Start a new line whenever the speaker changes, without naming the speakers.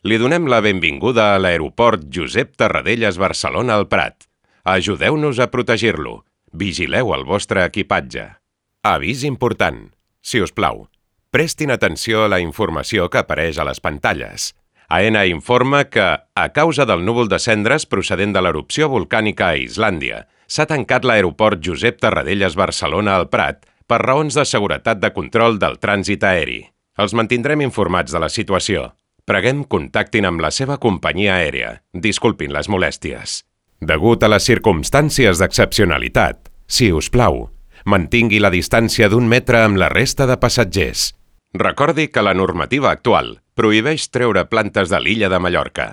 Li donem la benvinguda a l'aeroport Josep Tarradellas Barcelona al Prat. Ajudeu-nos a protegir-lo. Vigileu el vostre equipatge. Avís important. Si us plau, prestin atenció a la informació que apareix a les pantalles. AENA informa que, a causa del núvol de cendres procedent de l'erupció volcànica a Islàndia, s'ha tancat l'aeroport Josep Tarradellas Barcelona al Prat per raons de seguretat de control del trànsit aeri. Els mantindrem informats de la situació. Preguem contactin amb la seva companyia aèria. Disculpin les molèsties. Degut a les circumstàncies d'excepcionalitat, si us plau, mantingui la distància d'1 metre amb la resta de passatgers. Recordi que la normativa actual prohibeix treure plantes de l'illa de Mallorca.